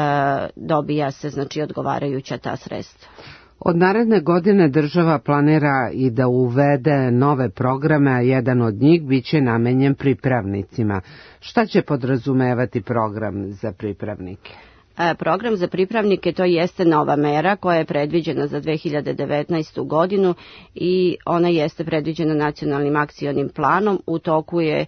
dobija se znači odgovarajuća ta sredstva. Od naredne godine država planira i da uvede nove programe, a jedan od njih biće namenjen pripravnicima. Šta će podrazumevati program za pripravnike? Program za pripravnike to jeste nova mera koja je predviđena za dve hiljade devetnaestu godinu i ona jeste predviđena nacionalnim akcionim planom. U toku je e,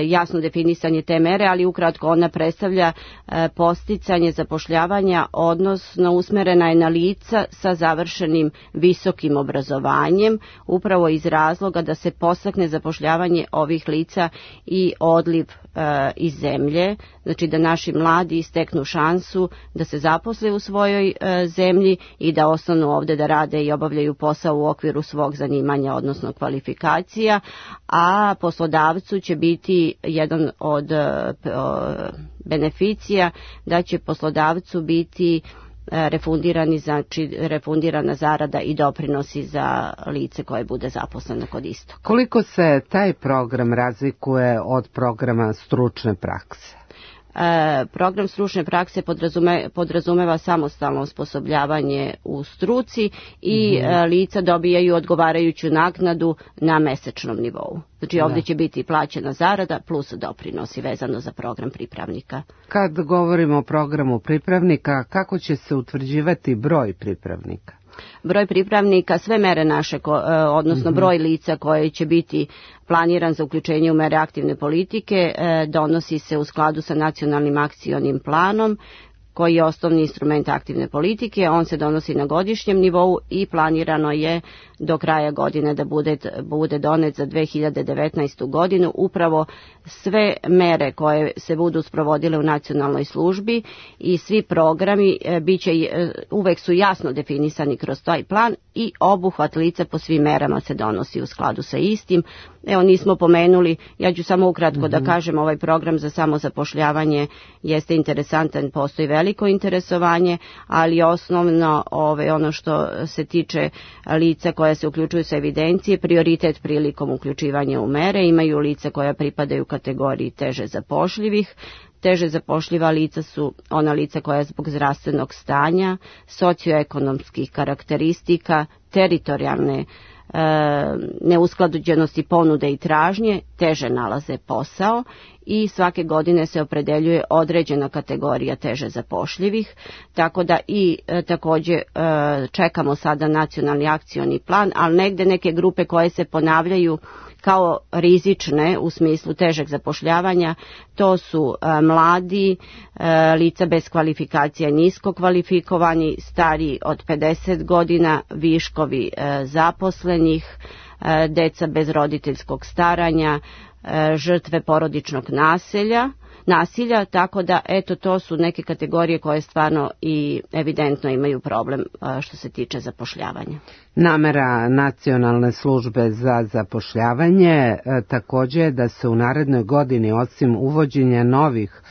jasno definisanje te mere, ali ukratko ona predstavlja e, posticanje zapošljavanja, odnosno usmerena je na lica sa završenim visokim obrazovanjem, upravo iz razloga da se podstakne zapošljavanje ovih lica i odliv e, iz zemlje, znači da naši mladi steknu šansu da se zaposle u svojoj e, zemlji i da ostanu ovde da rade i obavljaju posao u okviru svog zanimanja, odnosno kvalifikacija, a poslodavcu će biti jedan od e, beneficija da će poslodavcu biti e, refundirani, znači refundirana zarada i doprinosi za lice koje bude zaposleno kod istog. Koliko se taj program razlikuje od programa stručne prakse? E, program stručne prakse podrazume, podrazumeva samostalno osposobljavanje u struci i mm. e, lica dobijaju odgovarajuću naknadu na mesečnom nivou. Znači da. Ovdje će biti plaćena zarada plus doprinosi vezano za program pripravnika. Kad govorimo o programu pripravnika, kako će se utvrđivati broj pripravnika? Broj pripravnika, sve mere naše, odnosno broj lica koje će biti planiran za uključenje u mere aktivne politike, donosi se u skladu sa nacionalnim akcionim planom, koji je osnovni instrument aktivne politike. On se donosi na godišnjem nivou i planirano je do kraja godine da bude, bude donet za dve hiljade devetnaestu godinu. Upravo sve mere koje se budu sprovodile u nacionalnoj službi i svi programi biće, uvek su jasno definisani kroz taj plan i obuhvat lica po svim merama se donosi u skladu sa istim. Evo, nismo pomenuli, ja ću samo ukratko mm-hmm. da kažem, ovaj program za samozapošljavanje jeste interesantan, postoji veliko interesovanje, ali osnovno ove, ono što se tiče lica koja se uključuju sa evidencije, prioritet prilikom uključivanja u mere imaju lica koja pripadaju kategoriji teže zapošljivih. Teže zapošljiva lica su ona lica koja zbog zdravstvenog stanja, socioekonomskih karakteristika, teritorijalne e, neusklađenosti ponude i tražnje teže nalaze posao i svake godine se opredeljuje određena kategorija teže zapošljivih, tako da i e, također e, čekamo sada nacionalni akcioni plan, ali negde neke grupe koje se ponavljaju kao rizične u smislu težeg zapošljavanja, to su e, mladi, e, lica bez kvalifikacija, nisko kvalifikovani, stariji od pedeset godina, viškovi e, zaposlenih, e, deca bez roditeljskog staranja, e, žrtve porodičnog nasilja, nasilja, tako da eto to su neke kategorije koje stvarno i evidentno imaju problem što se tiče zapošljavanja. Namera Nacionalne službe za zapošljavanje također je da se u narednoj godini osim uvođenja novih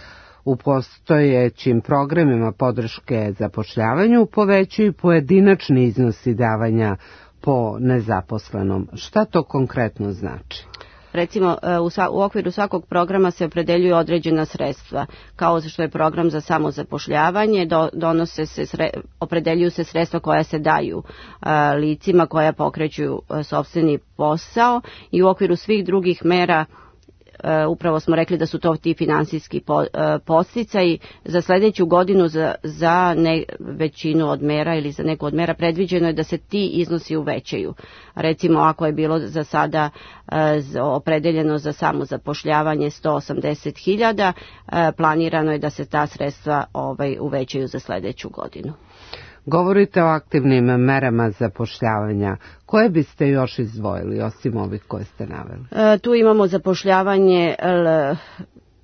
u postojećim programima podrške zapošljavanju povećaju pojedinačni iznosi davanja po nezaposlenom. Šta to konkretno znači? recimo u, sva, u okviru svakog programa se opredeljuju određena sredstva, kao što je program za samozapošljavanje, do, donose se sre, opredeljuju se sredstva koja se daju a, licima koja pokreću a, sopstveni posao i u okviru svih drugih mera. Uh, upravo smo rekli da su to ti finansijski po, uh, podsticaji za sledeću godinu za, za ne, većinu od mera ili za neku od mera predviđeno je da se ti iznosi uvećaju. Recimo ako je bilo za sada uh, opredeljeno za samozapošljavanje sto osamdeset hiljada, uh, planirano je da se ta sredstva ovaj, uvećaju za sledeću godinu. Govorite o aktivnim merama zapošljavanja. Koje biste još izdvojili, osim ovih koje ste naveli? E, tu imamo zapošljavanje, l,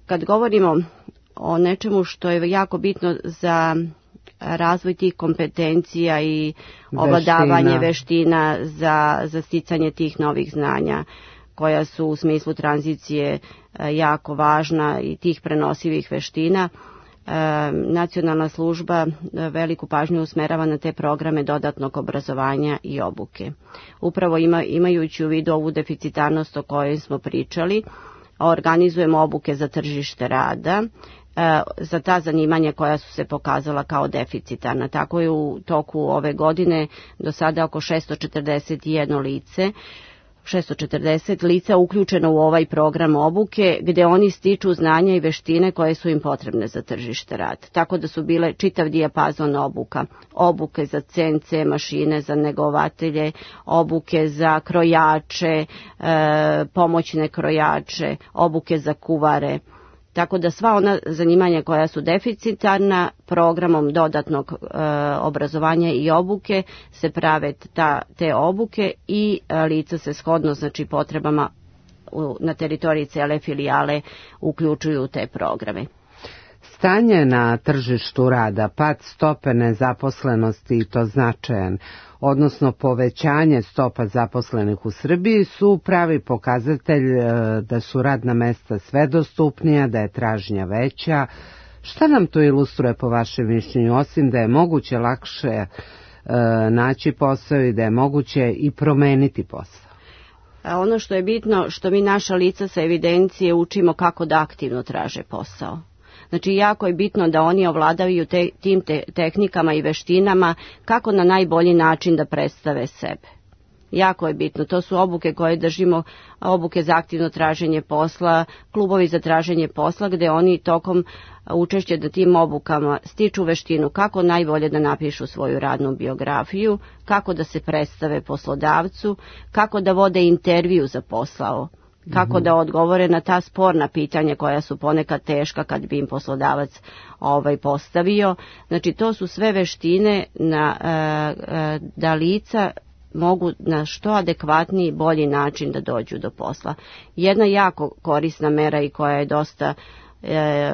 kad govorimo o nečemu što je jako bitno za razvoj tih kompetencija i ovladavanje veština za, za sticanje tih novih znanja, koja su u smislu tranzicije jako važna i tih prenosivih veština. E, nacionalna služba veliku pažnju usmerava na te programe dodatnog obrazovanja i obuke. Upravo ima, imajući u vidu ovu deficitarnost o kojoj smo pričali, organizujemo obuke za tržište rada, e, za ta zanimanja koja su se pokazala kao deficitarna. Tako je u toku ove godine do sada oko šesto četrdeset jedno lice šesto četrdeset lica uključeno u ovaj program obuke gde oni stiču znanja i veštine koje su im potrebne za tržište rada. Tako da su bile čitav dijapazon obuka. Obuke za C N C mašine, za negovatelje, obuke za krojače, e, pomoćne krojače, obuke za kuvare. Tako da sva ona zanimanja koja su deficitarna programom dodatnog e, obrazovanja i obuke se prave ta, te obuke i e, lica se shodno znači potrebama u, na teritoriji cele filijale uključuju u te programe. Stanje na tržištu rada, pad stope nezaposlenosti i to značajan, odnosno povećanje stopa zaposlenih u Srbiji su pravi pokazatelj da su radna mesta sve dostupnija, da je tražnja veća. Šta nam to ilustruje po vašem mišljenju, osim da je moguće lakše e, naći posao i da je moguće i promeniti posao? Ono što je bitno, što mi naša lica sa evidencije učimo kako da aktivno traže posao. Znači, jako je bitno da oni ovladavaju te, tim te, tehnikama i veštinama kako na najbolji način da predstave sebe. Jako je bitno. To su obuke koje držimo, obuke za aktivno traženje posla, klubovi za traženje posla, gde oni tokom učešća na tim obukama stiču veštinu kako najbolje da napišu svoju radnu biografiju, kako da se predstave poslodavcu, kako da vode intervju za posao, kako da odgovore na ta sporna pitanja koja su ponekad teška kad bi im poslodavac ovaj postavio. Znači, to su sve veštine na, e, da lica mogu na što adekvatniji, bolji način da dođu do posla. Jedna jako korisna mera i koja je dosta e,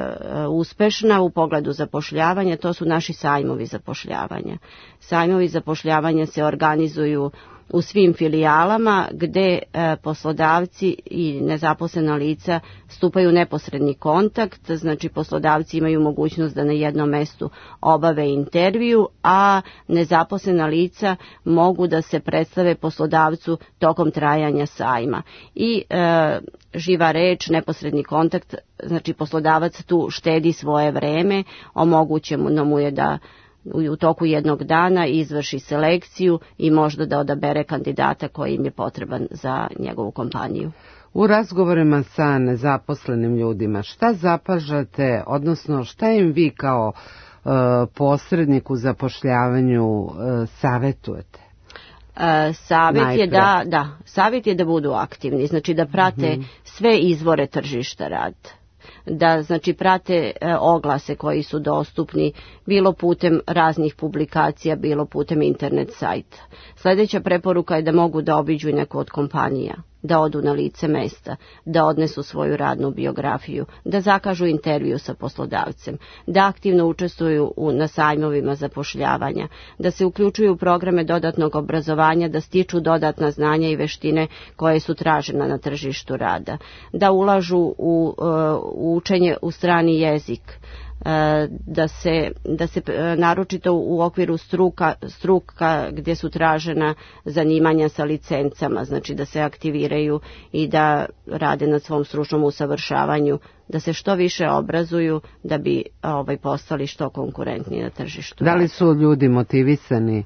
uspešna u pogledu zapošljavanja, to su naši sajmovi zapošljavanja. Sajmovi zapošljavanja se organizuju u svim filijalama gde e, poslodavci i nezaposlena lica stupaju u neposredni kontakt, znači poslodavci imaju mogućnost da na jednom mestu obave intervju, a nezaposlena lica mogu da se predstave poslodavcu tokom trajanja sajma. I e, živa reč, neposredni kontakt, znači poslodavac tu štedi svoje vreme, omogućeno mu je da u toku jednog dana izvrši selekciju i možda da odabere kandidata koji im je potreban za njegovu kompaniju. U razgovorima sa nezaposlenim ljudima, šta zapažate, odnosno šta im vi kao e, posrednik u zapošljavanju e, savjetujete? E, savjet je da, da, savjet je da budu aktivni, znači da prate mm-hmm. sve izvore tržišta rada. Da znači prate e, oglase koji su dostupni bilo putem raznih publikacija, bilo putem internet sajta. Sljedeća preporuka je da mogu da obiđu i neku od kompanija, da odu na lice mesta, da odnesu svoju radnu biografiju, da zakažu intervju sa poslodavcem, da aktivno učestvuju u, na sajmovima zapošljavanja, da se uključuju u programe dodatnog obrazovanja, da stiču dodatna znanja i veštine koje su tražena na tržištu rada, da ulažu u, u učenje u strani jezik, da se, da se naročito u okviru struka, struka gdje su tražena zanimanja sa licencama, znači da se aktiviraju i da rade na svom stručnom usavršavanju, da se što više obrazuju da bi ovaj, postali što konkurentniji na tržištu. Da li su ljudi motivisani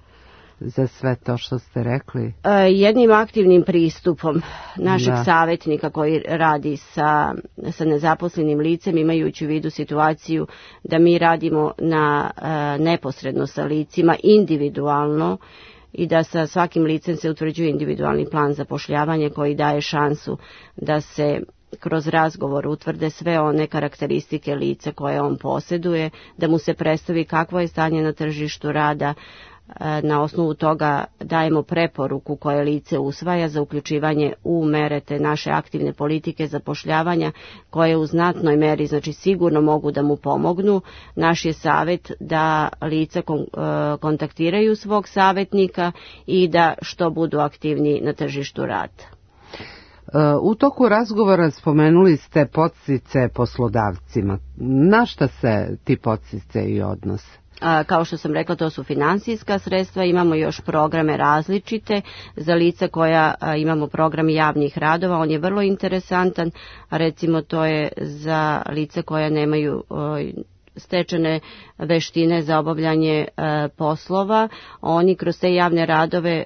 za sve to što ste rekli? Jednim aktivnim pristupom našeg da. savjetnika koji radi sa, sa nezaposlenim licem, imajući u vidu situaciju da mi radimo na neposredno sa licima, individualno, i da sa svakim licem se utvrđuje individualni plan zapošljavanja koji daje šansu da se kroz razgovor utvrde sve one karakteristike lica koje on posjeduje, da mu se predstavi kakvo je stanje na tržištu rada. Na osnovu toga dajemo preporuku koje lice usvaja za uključivanje u mere te naše aktivne politike zapošljavanja koje u znatnoj meri, znači sigurno mogu da mu pomognu. Naš je savjet da lica kontaktiraju svog savjetnika i da što budu aktivni na tržištu rada. U toku razgovora spomenuli ste podsticaje poslodavcima. Na šta se ti podsticaji odnose? A, kao što sam rekla, to su finansijska sredstva, imamo još programe različite za lica koja a, imamo program javnih radova, on je vrlo interesantan, a recimo to je za lica koja nemaju a, stečene veštine za obavljanje e, poslova. Oni kroz te javne radove e,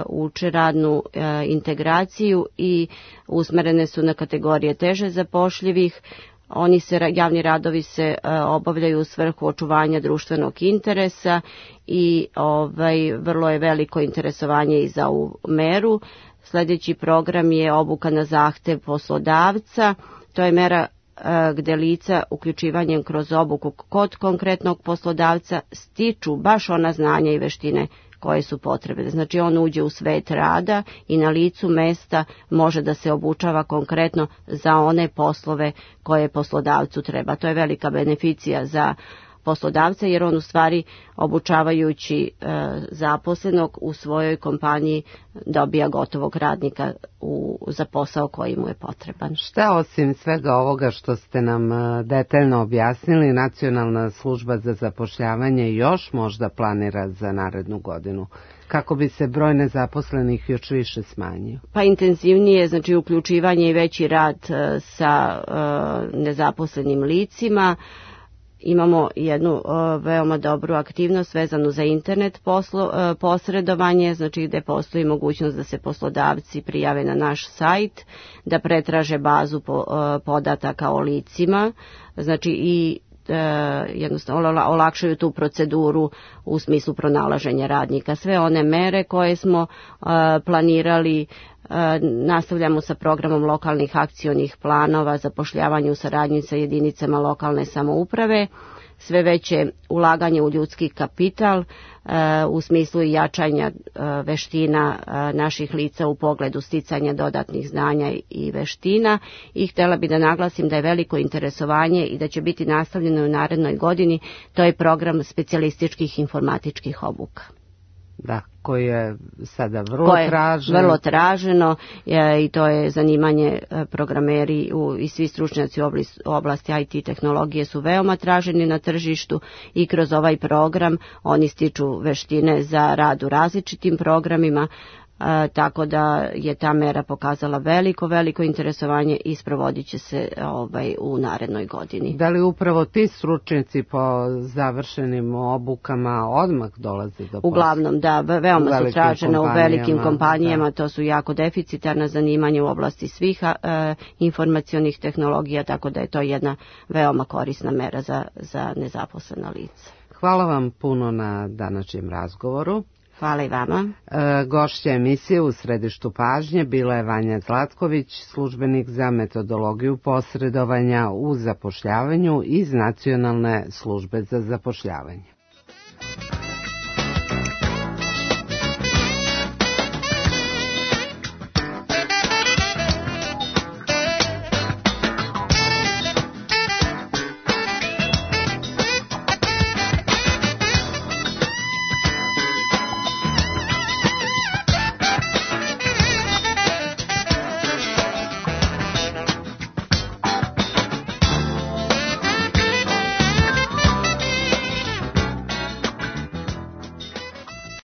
uče radnu e, integraciju i usmerene su na kategorije teže zapošljivih. Oni se, javni radovi se e, obavljaju u svrhu očuvanja društvenog interesa i ovaj, vrlo je veliko interesovanje i za ovu meru. Sljedeći program je obuka na zahtev poslodavca. To je mera gdje lica uključivanjem kroz obuku kod konkretnog poslodavca stiču baš ona znanja i veštine koje su potrebne. Znači on uđe u svet rada i na licu mesta može da se obučava konkretno za one poslove koje poslodavcu treba. To je velika beneficija za poslodavca jer on u stvari obučavajući e, zaposlenog u svojoj kompaniji dobija gotovog radnika u, za posao koji mu je potreban. Šta osim svega ovoga što ste nam detaljno objasnili, Nacionalna služba za zapošljavanje još možda planira za narednu godinu? Kako bi se broj nezaposlenih još više smanjio? Pa intenzivnije, znači uključivanje i veći rad e, sa e, nezaposlenim licima. Imamo jednu uh, veoma dobru aktivnost vezanu za internet poslo, uh, posredovanje, znači gdje postoji mogućnost da se poslodavci prijave na naš sajt, da pretraže bazu po, uh, podataka o licima, znači i uh, jednostavno olakšaju tu proceduru u smislu pronalaženja radnika. Sve one mere koje smo uh, planirali, nastavljamo sa programom lokalnih akcionih planova, zapošljavanje u saradnji sa jedinicama lokalne samouprave, sve veće ulaganje u ljudski kapital u smislu jačanja veština naših lica u pogledu sticanja dodatnih znanja i veština i htjela bi da naglasim da je veliko interesovanje i da će biti nastavljeno u narednoj godini, to je program specijalističkih informatičkih obuka. Da, koji je sada vrlo je traženo. Vrlo traženo je, i to je zanimanje programeri u, i svi stručnjaci u oblasti I T tehnologije su veoma traženi na tržištu i kroz ovaj program oni stiču veštine za rad u različitim programima. E, tako da je ta mera pokazala veliko, veliko interesovanje i sprovodit će se ovaj, u narednoj godini. Da li upravo ti stručnjaci po završenim obukama odmah dolaze do posla? Uglavnom, da, veoma su tražene u velikim kompanijama, da. To su jako deficitarna zanimanja u oblasti svih e, informacionih tehnologija, tako da je to jedna veoma korisna mera za, za nezaposlena lica. Hvala vam puno na današnjem razgovoru. Hvala i vama. E, gošća emisije u središtu pažnje bila je Vanja Zlatković, službenik za metodologiju posredovanja u zapošljavanju iz Nacionalne službe za zapošljavanje.